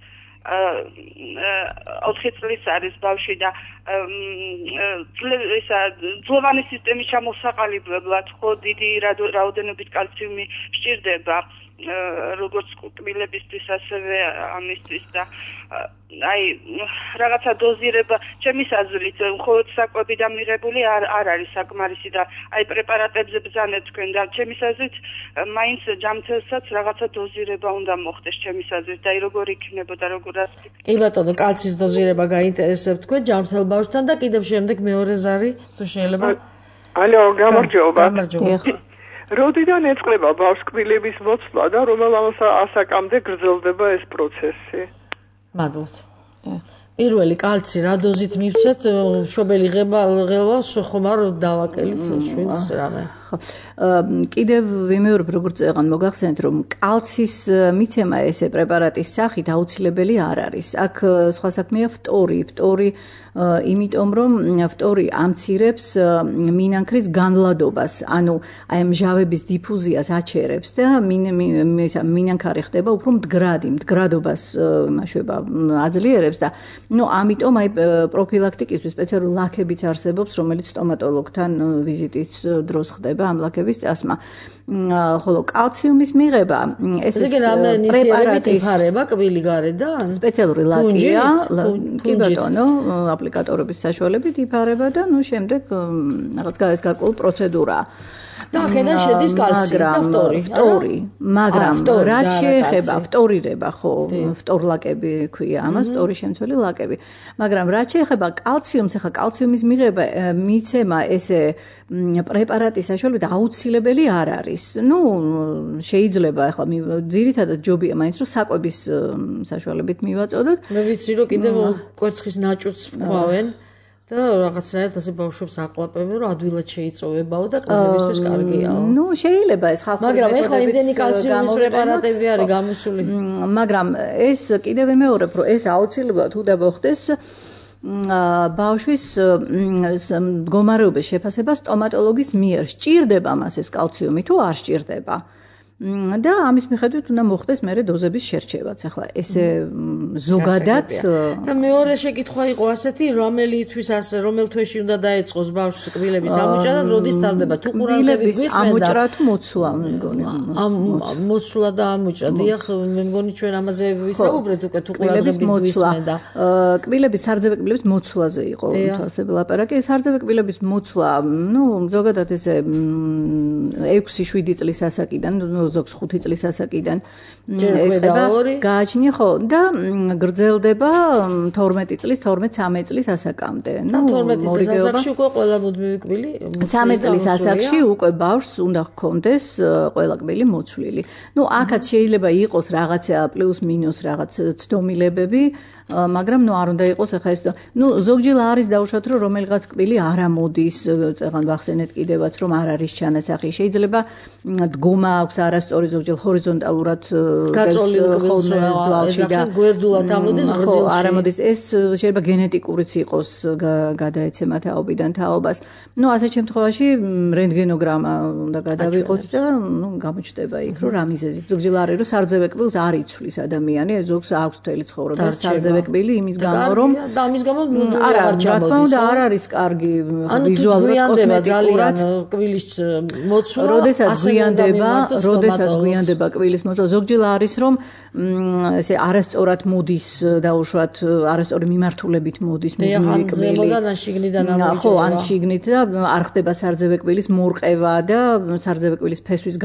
4 წლის არის ბავშვი და ძვლოვანი სისტემის ჩამოსაყალიბებლად ხო დიდი რაოდენობით კალციუმი სჭირდება როგორც კბილებისთვის ასევე ამისთვის და აი რაღაცა დოზირება ჩემის აზრით მხოლოდ საკვები და მიღებული არ არის საკმარისი და აი პრეპარატებზე ბრძანეთ თქვენ და ჩემის აზრით მაინც ჯამთელსაც რაღაცა დოზირება უნდა მოხდეს ჩემის აზრით და აი როგორ იქნებოდა როგორ კი ბატონო კალციის დოზირება გაინტერესებთ თქვენ ჯამთელ ბავშვთან და კიდევ შემდეგ მეორე ზარი თუ შეიძლება ალო გამარჯობა როდიდან ეწყება ბავშვს კბილების მოცვლა და რომელ ასაკამდე გრძელდება ეს პროცესი? მადლობთ. პირველი კალცი რა დოზით მივცეთ, მშობელი ღელვას ხომ არ დავაკელით შვილს რამე. კიდევ ვიმეორებ როგორც წეგან მოგახსენეთ რომ კალცის მიცემა ესე პრეპარატის სახით აუცილებელი არ არის. აქ სხვა საქმეა ფტორი იმიტომ რომ ფტორი ამცირებს მინანქრის განლადობას, ანუ აი მჟავების დიფუზიას აჩერებს და მინანქარი ხდება უფრო მდგრადობას იმაშובה აძლიერებს და ნუ ამიტომ აი პროფილაქტიკისთვის სპეციალური ლაქებიც არსებობს, რომელიც სტომატოლოგთან ვიზიტის დროს ხდება ამ ლაქების წასმა. ხოლო კალციუმის მიღება ეს პრეპარატი იფარება კბილი გარედან? სპეციალური ლაკია, კი ბატონო, აპლიკატორების საშუალებით იფარება და ნუ შემდეგ რაღაც გარკვეული პროცედურაა. და აქედან შედის კალცი და ფტორი. მაგრამ რაც შეეხება ფტორირება, ხო, ფტორლაკები ქვია ამას, ფტორის შემცველი ლაკები. მაგრამ რაც შეეხება კალციუმს, ახლა კალციუმის მიცემა ესე პრეპარატის საშუალებით აუცილებელი არ არის. ნუ შეიძლება ახლა ძირითადად ჯობია მაინც რომ საკვების საშუალებით მივაწოდოთ. მე ვიცი რომ კიდევ კვერცხის ნაჭურს ვქავენ. და რაღაცნაირად ასე ბავშვებს აყლაპებენ რომ ადვილად შეიწოვებაო და კბილებისთვის კარგიაო. ნუ შეიძლება ეს ხალხური მაგრამ ეხლა იმდენი კალციუმის პრეპარატები არის გამოსული. მაგრამ ეს კიდევ ვიმეორებ რომ ეს აუცილებლად უნდა მოხდეს ბავშვის მდგომარეობის შეფასება სტომატოლოგის მიერ. სჭირდება მას ეს კალციუმი თუ არ სჭირდება. და ამის მიხედვით უნდა მოხდეს მერე დოზების შერჩევაც. ახლა ესე ზოგადად და მეორე შეკითხვა იყო ასეთი, რომელ თვეში უნდა დაეწყოს ბავშვს კბილების ამოჭრა და როდის ტარდება? თუ ყურადღებით გვისმენდა ამოჭრა თუ მოცვლა, მე მგონი. მოცვლა და ამოჭრა. დიახ, მე მგონი ჩვენ ამაზე ვისაუბრეთ უკვე თუ ყურადღებით გვისმენდა. კბილების სარძებე კბილების მოცვლაზე იყო თვალსები ლაპარაკი. სარძებე კბილების მოცვლა, ზოგადად ესე 6-7 წლის ასაკიდან, ზოგს 5 წლის ასაკიდან ეწება, გააჩნია ხო და გრძელდება 12 წლის, 12-13 წლის ასაკამდე. 12 წლის ასაკში უკვე ყველა მუდმივი კბილი 13 წლის ასაკში უკვე ბავშვს უნდა ჰქონდეს ყველა კბილი მოცვლილი. აქაც შეიძლება იყოს რაღაცა პლუს მინუს რაღაც ცდომილებები, მაგრამ არ უნდა იყოს ახლა ეს ზოგჯერ არის დაუშვათ რომ რომელიღაც კბილი არ ამოდის, წეგან ვახსენეთ კიდევაც რომ არ არის ჩანასახი. შეიძლება დგომა აქვს არასწორი, ზოგჯერ ჰორიზონტალურად გაწოლილი ძვალში და გვერდულად ამოდის გრძელში. არ ამოდის. ეს შეიძლება გენეტიკურიც იყოს გადაეცემა თაობიდან თაობას. ასეთ შემთხვევაში რენტგენოგრამა უნდა გადავიღოთ და გამოჩნდება იქ რომ რა მიზეზით. ზოგჯერ არის რომ სარძევე კბილს არ იცვლის ადამიანი, ზოგს აქვს მთელი ცხოვრება სარძევე კბილი იმის გამო რომ და ამის გამო არა ჩამოდის. არ არის კარგი ვიზუალურად კოსმეტიკურად კბილის მოცვლა. როდესაც გვიანდება კბილის მოცვლა, ზოგჯერ არის რომ ესე არასწორად მოდის დაუშვათ, არასწორი მიმართულებით მოდის მუდმივი კბილი. ხო, ან შიგნით და არ ხდება სარძევე კბილის მორყევა და სარძევე კბილის ფესვის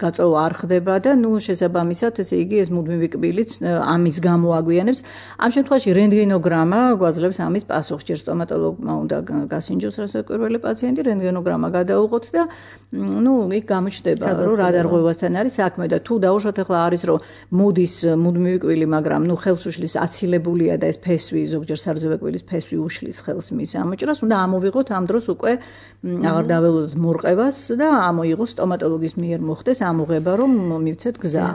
გაწოვა არ ხდება და შესაბამისად ესე იგი ეს მუდმივი კბილიც ამის გამო აგვიანებს. ამ შემთხვევაში რენტგენოგრამა გვაძლევს ამის პასუხს. ჯერ სტომატოლოგმა უნდა გასინჯოს რასაკვირველი პაციენტი, რენტგენოგრამა გადაუღოთ და იქ გამოჩნდება რომ რა დარღვევასთან არის საქმე და თუ დაუშვათ ახლა არის რომ მოდის მუდმივი კბილი, მაგრამ ხელს უშლის აცილებულია და ეს ფესვი ზოგჯერ სარძევე კბილის ფესვი უშლის ხელს მის ამოჭრას, უნდა ამოვიღოთ ამ დროს უკვე აღარ დაველოდოთ მორყევას და ამოიღოს სტომატოლოგის მიერ მოხდეს ამოღება რომ მივცეთ გზა.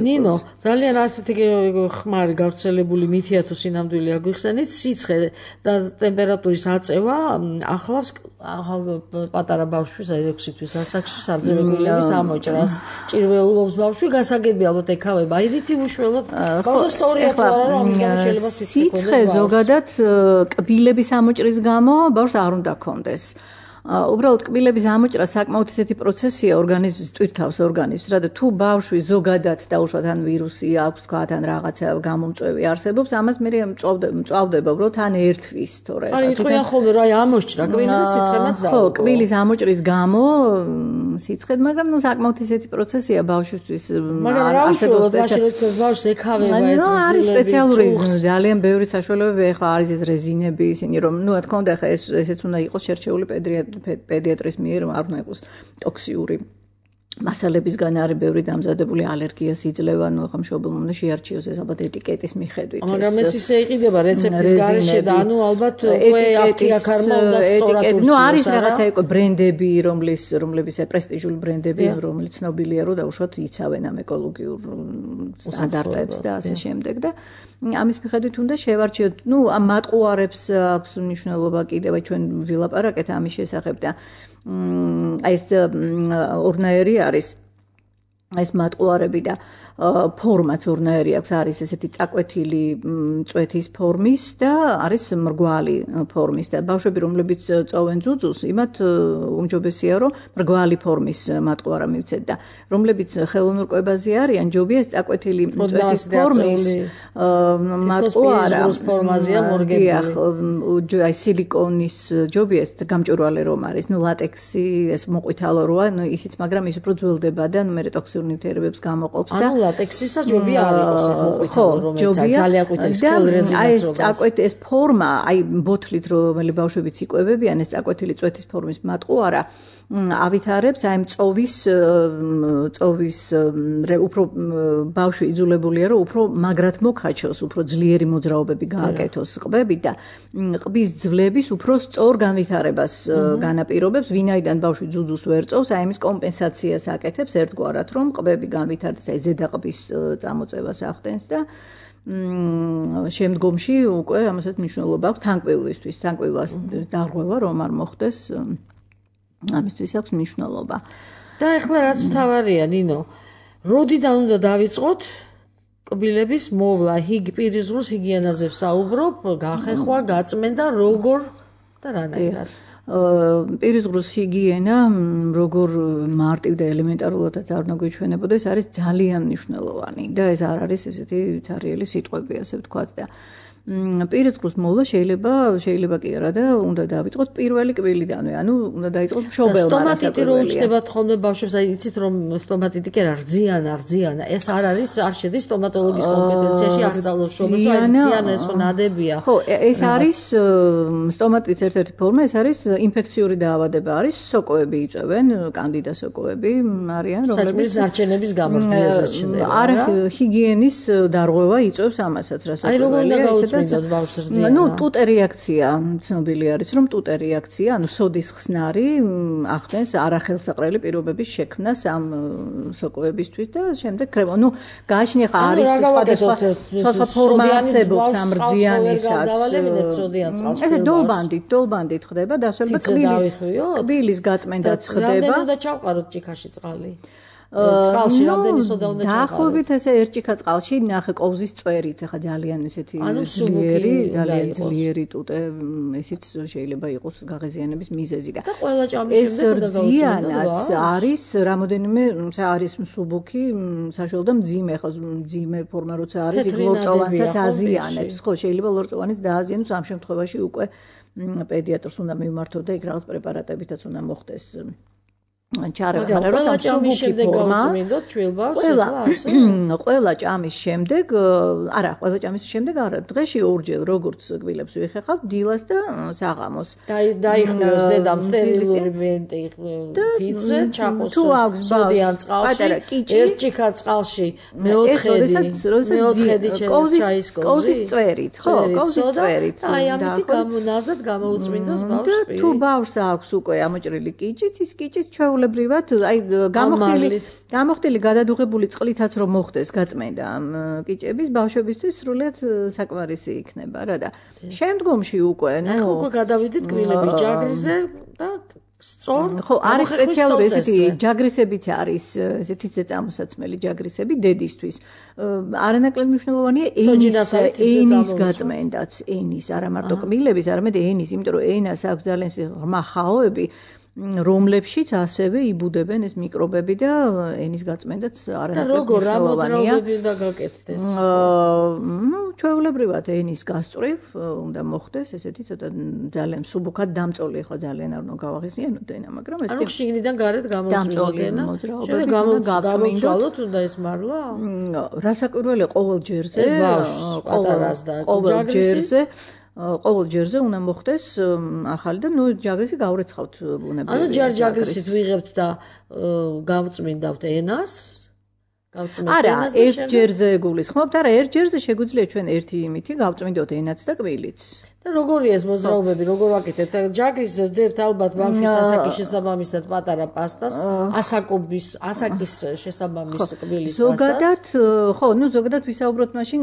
ნინო, ძალიან ასეთი ხმარი გავრცელებული მითია თუ სინამდვილე აგვიხსენით, სიცხე და ტემპერატურის აწევა ახლავს პატარა ბავშვის 6 თვის ასაკში სარძევე კბილების ამოჭრას. ჭირვეულობს ბავშვი, გასაგებია ალბათ ეკავება აირითი უშველოდ. ბავშვს სწორია თუ არა რომ ამის გამო შეიძლება სიცხე ზოგადად კბილების ამოჭრის გამო ბავშვს არ უნდა ქონდეს. უბრალოდ კბილების ამოჭრა საკმაოდ ისეთი პროცესია ორგანიზმის ტვირთავს ორგანიზმს, რა და თუ ბავშვი ზოგადად დაუშვათ ან ვირუსი აქვს, თქვათ ან რაღაცა გამომწვევი არსებობს, ამას მე მწვავდება, უბრალოდ ან ერთვის, თორე. აი, იტყვიან ხოლმე რა ამოჭრა კბილი და სიცხემაც და. ხო, კბილის ამოჭრის გამო სიცხედ, მაგრამ საკმაოდ ისეთი პროცესია ბავშვისთვის. მაგრამ რა უშუალოდ მაშინ როცა ბავშვს ეკავება ეს ძილები. არის სპეციალური ძალიან ბევრი საშუალებები, ახლა არის ეს რეზინები, ისინი რომ რა თქმა უნდა, ახლა ესეც უნდა იყოს შერჩეული პედიატრის მიერ, არ უნდა იყოს ტოქსიური მასალებისგან არის ბევრი დამზადებული ალერგიას იძლევა, ახლა მშობელმა უნდა შეარჩიოს ეს ალბათ ეტიკეტის მიხედვით. მაგრამ ეს ისე იყიდება რეცეპტის გარეშე და ალბათ უკვე აპტეკარმა უნდა სწორად ურჩიოს. არის რაღაცა იყო ბრენდები, რომლებიც პრესტიჟული ბრენდები, რომელიც ცნობილია რომ დაუშვათ იცავენ ამ ეკოლოგიურ სტანდარტებს და ასე შემდეგ და ამის მიხედვით უნდა შევარჩიოთ. ამ მატყუარებს აქვს მნიშვნელობა კიდევ ჩვენ ვილაპარაკეთ ამის შესახებ და ეს ორნაირი არის ეს მატყუარები და ფორმაც ორნაირი აქვს, არის ესეთი წაკვეთილი წვეთის ფორმის და არის მრგვალი ფორმის და ბავშვები რომლებიც წოვენ ძუძუს, იმათ უმჯობესია რომ მრგვალი ფორმის მატყუარა მივცეთ და რომლებიც ხელოვნურ კვებაზე არიან, ჯობია ეს წაკვეთილი წვეთის ფორმის მატყუარა ფორმაზეა მორგებული. აი სილიკონის ჯობია ეს გამჭვირვალე რომ არის, ლატექსი ეს მოყვითალო როა, ისიც, მაგრამ ის უფრო ძველდება და მე ტოქსიურ ნივთიერებებს გამოყოფს და ლატექსისა ჯობია არ იყოს ეს მოყვითალო, რომელიც ძალიან ყვითელი სქელ რეზინას როგავს. აი ეს ფორმა, აი ბოთლით რომელი ბავშვებიც იკვებებიან, ეს წაკვეთილი წვეთის ფორმის მატყუარა ავითარებს აი მწოვის უფრო ბავშვი იძულებულია რომ უფრო მაგრად მოკაჩოს, უფრო ძლიერი მოძრაობები გააკეთოს ყბებით და ყბის ძვლების უფრო სწორ განვითარებას განაპირობებს, ვინაიდან ბავშვი ძუძუს ვერ წოვს, აი ამის კომპენსაციას აკეთებს ერთგვარად, რომ ყბები განვითარდეს, აი ზედა ყბის წამოწევას ახდენს და შემდგომში უკვე ამასაც მნიშვნელობა აქვს თანკბილისთვის, თანკბილას დარღვევა რომ არ მოხდეს, ამისთვის აქვს მნიშვნელობა. და ეხლა რაც მთავარია, ნინო, როდიდან უნდა დავიწყოთ კბილების მოვლა, პირის ზღურს ჰიგიენაზე ვსაუბრობ, გახეხვა, გაწმენდა, როგორ და რანაირად. პირის ზღურის ჰიგიენა, როგორ მარტივ და ელემენტარულადაც არ უნდა გვიჩვენებოდეს, არის ძალიან მნიშვნელოვანი და ეს არ არის ესეთი ცარიელი სიტყვები, ასე ვთქვათ და პირის ზღურის მოვლა შეიძლება კი არა და უნდა დავიწყოთ პირველი კბილიდანვე, ანუ უნდა დაიწყოთ მშობელმა რასაკვირველია. სტომატიტი რო უჩნდებათ ხოლმე ბავშვებს, აი იცით რომ სტომატიტი კი არა, რძიანა, ეს არ შედის სტომატოლოგის კომპეტენციაში ასწავლოს შრომაზე, აი რძიანა ეს ხო ნადებია. ხო, ეს არის სტომატიტის ერთ-ერთი ფორმა, ეს არის ინფექციური დაავადება, არის სოკოები იწვევენ, კანდიდა სოკოები არიან, რომლებიც ნარჩენების გამორჩეზე ჩნდება. არა, ჰიგიენის დარღვევა იწვევს ამასაც, რასაკვირველია. ტუტე რეაქცია ცნობილი არის რომ ტუტე რეაქცია ანუ სოდის ხსნარი ახდენს არახელსაყრელი პირობების შექმნას ამ სოკოებისთვის და შემდეგ კრემა გააჩნია ხა არის სხვადასხვა ფორმა არსებობს ამ რძიანისაც ესე დოლბანდით ხდება დასვენება კბილის გაწმენდაც ხდება და ჩავყაროთ ჭიქაში წყალი წყალში რამდენი სოდა უნდა ჩავყაროთ? დაახლოებით ესე ერთ ჭიქა წყალში ნახე კოვზის წვერით, ახლა ძალიან ესეთი ძლიერი ტუტე, ესიც შეიძლება იყოს გაღიზიანების მიზეზი და ყველა ჭამის შემდეგ უნდა გაუწმინდოთ. არის რამოდენიმე არის მსუბუქი, საშუალო და მძიმე ფორმა როცა არის, იქ ლორწოვანსაც აზიანებს. ხო, შეიძლება ლორწოვანის დააზიანოს, ამ შემთხვევაში უკვე პედიატრს უნდა მივმართოთ და იქ რაღაც პრეპარატებითაც უნდა მოხდეს. ჩარევარ როცა მსუბუქი ფორმა ყველა ჭამის შემდეგ არა დღეში ორჯერ როგორც კბილებს ვიხეხავ დილას და საღამოს დაიხმიოს დედამ სტერილური ფიცე ჩაყოს სოდიან წყალში ერთ ჭიქა წყალში მეოთხედი ჩაის კოვზის წვერით ხო კოვზის წვერით აი ამით გამონაზად გამოუწმინდოს ბავშვს თუ ბავშვს აქვს უკვე ამოჭრილი კიჭიც ის კიჭის ჩვეულებრივად აი გამოხდილი გადადუღებული წყლითაც რომ მოხდეს გაწმენდა ამ კიჭების ბავშვებისთვის სრულად საკმარისი იქნება რა და შემდგომში უკვე ნუ უკვე გადავიდეთ კბილების ჯაგრიზე და სწორ ხო არის სპეციალური ესეთი ჯაგრისებიც არის ესეთი წამოსაცმელი ჯაგრისები დედისთვის არანაკლებ მნიშვნელოვანია ენის გაწმენდაც ენის არა მარტო კბილების არამედ ენის იმიტომ რომ ენას აქვს ძალიან ღრმა ხაოები რომლებშიც ასევე იბუდებენ ეს მიკრობები და ენის გაწმენდაც არანაკლებ მნიშვნელოვანია. და როგორ მოძრაობები უნდა გაკეთდეს? ნუ ჩვეულებრივად ენის გასწვრივ უნდა მოხდეს ესეთი ცოტა ძალიან მსუბუქად დამწოლი ხო ძალიან არ უნდა გავაღიზიანოთ ენა, მაგრამ ეს ანუ შიგნიდან გარეთ გამოწვიოთ ენა. გამოვწვალოთ უნდა ეს მარლა? რასაკვირველია ყოველ ჯერზე ყოველ ჯერზე უნდა მოხდეს ახალი და ნუ ჯაგრისი გავრეცხავთ ბუნებრივია. ანუ ჯაგრისით ვიღებთ და გავწმინდავთ ენას? არა, ერთ ჯერზე გულისხმობთ, არა, ერთ ჯერზე შეგვიძლია ჩვენ ერთი იმითი გავწმინდოთ ენაც და კბილიც. და როგორია ეს მოძრაობები, როგორ ვაკეთებთ? ჯაგრისზე ვდებთ ალბათ ბავშვის ასაკის შესაბამისად პატარა პასტას, ასაკის შესაბამის კბილის პასტას. ზოგადად, ხო, ნუ ზოგადად ვისაუბროთ მაშინ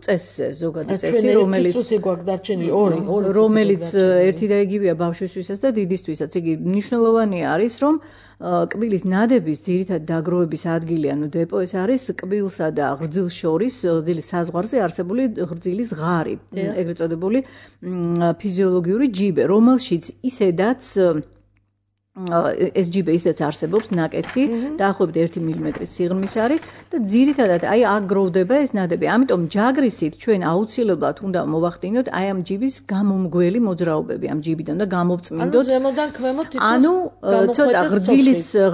წესზე, ზოგადად წესი, რომელიც წუთი გვაქვს დარჩენილი, ორი, რომელიც ერთი და იგივეა ბავშვისთვისაც და დიდისთვისაც. იგი მნიშვნელოვანი არის, რომ კბილის ნადების ძირითად დაგროვების ადგილი, ანუ დეპო ეს არის კბილსა და ღრძილს შორის, ღრძილის საზღვარზე არსებული ღრძილის ღარი, ეგრეთ წოდებული ფიზიოლოგიური ჯიბე, რომელშიც ისედაც ეს ჯიბე ისედაც არსებობს ნაკეთი, დაახლოებით 1 მილიმეტრის სიღრმის არის და ძირითადად აი აქ გროვდება ეს ნადები. ამიტომ ჯაგრისით ჩვენ აუცილებლად უნდა მოვახდინოთ აი ამ ჯიბის გამომგველი მოძრაობები, ამ ჯიბიდან და გამოვწმინდოთ. ანუ ზემოდან ქვემოთ თითქოს ანუ ცოტა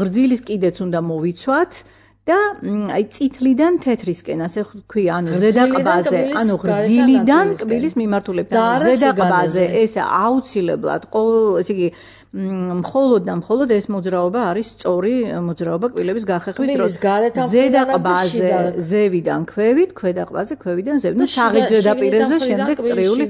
ღრძილის კიდეც უნდა მოვიცვათ. და აი წითლიდან თეთრისკენ ასე ვქვია, ანუ ზედაყბაზე, ანუ ღრძილიდან კბილის მიმართულებთან ზედაყბაზე ეს აუცილებლად ესე იგი მხოლოდ ეს მოძრაობა არის სწორი მოძრაობა კბილების გახეხვის დროს. ზედაყბაზე ზევიდან ქვევით, ქვედაყბაზე ქვევიდან ზევით. ნუ საღით ზედაპირებზე შემდეგ წრიული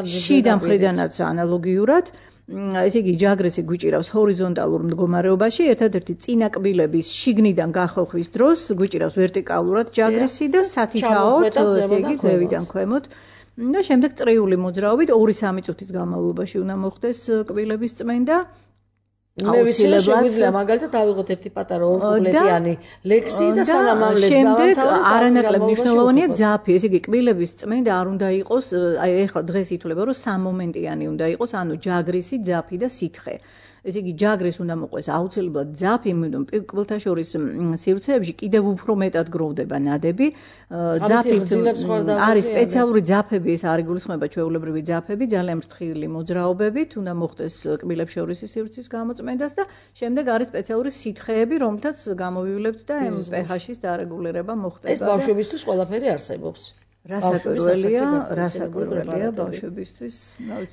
შიდა მხრიდანაც ანალოგიურად ესე იგი ჯაგრისი გვიჭირავს ჰორიზონტალურ მდგომარეობაში, ერთადერთი წინა კბილების შიგნიდან გახოხვის დროს გვიჭირავს ვერტიკალურად ჯაგრისი და სათითაოდ ესე იგი ზევიდან ქვემოთ და შემდეგ წრიული მოძრაობით 2-3 წუთის განმავლობაში უნდა მოხდეს კბილების წმენდა მე ვიცი რომ შეგვიძლია მაგალითად ავიღოთ ერთი პატარა ორკუპლეტიანი ლექსი და სანამ ამ ლექსს შემდეგ არანაკლებ მნიშვნელოვანია ძაფი, ესე იგი კბილების წმენდა არ უნდა იყოს, აი ეხლა დღეს ითვლება რომ სამომენტიანი უნდა იყოს, ანუ ჯაგრისი, ძაფი და სითხე. ესე იგი ჯაგრის უნდა მოყვეს აუცილებლად ძაფი, იმიტომ კბილთა შორის სივრცეებში კიდევ უფრო მეტად გროვდება ნადები. ძაფი არის სპეციალური ძაფები, ეს არ იგულისხმება ჩვეულებრივი ძაფები, ძალიან ფრთხილი მოძრაობებით, უნდა მოხდეს კბილებს შორის სივრცის გამოწმენდას და შემდეგ არის სპეციალური სითხეები, რომლითაც გამოვივლებთ და pH-ის დარეგულირება მოხდება. ეს ბავშვებისთვის ყველაფერი არსებობს. რასაკვირველია ბავშვებისთვის.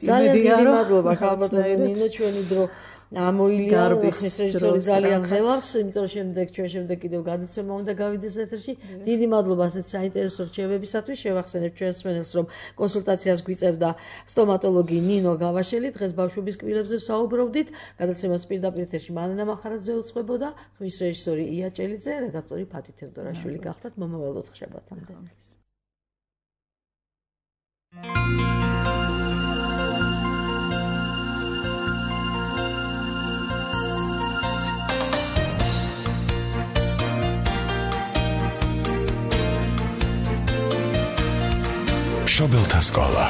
ძალიან დიდი მადლობა ხალბატონო ნინო, ჩვენი დრო ამოილია ხეს რეჟისორი ძალიან ხელავს, იმიტომ რომ ჩვენ შემდეგ კიდევ გადაცემა უნდა გავიდეს ეთერში. დიდი მადლობა ასეთ საინტერესო რჩევებისათვის. შევახსენებ ჩვენს მსმენელს, რომ კონსულტაციას გვიწევდა სტომატოლოგი ნინო გავაშელი. დღეს ბავშვების კბილებზე საუბრობდით. გადაცემას პირდაპირ ეთერში მანენა მახარაძე უწყებოდა, ხმის რეჟისორი ია ჭელიძე, რედაქტორი ფათი თევდორაშვილი გახდათ. მომავალ 4 შაბათამდე. მშობელთა სკოლა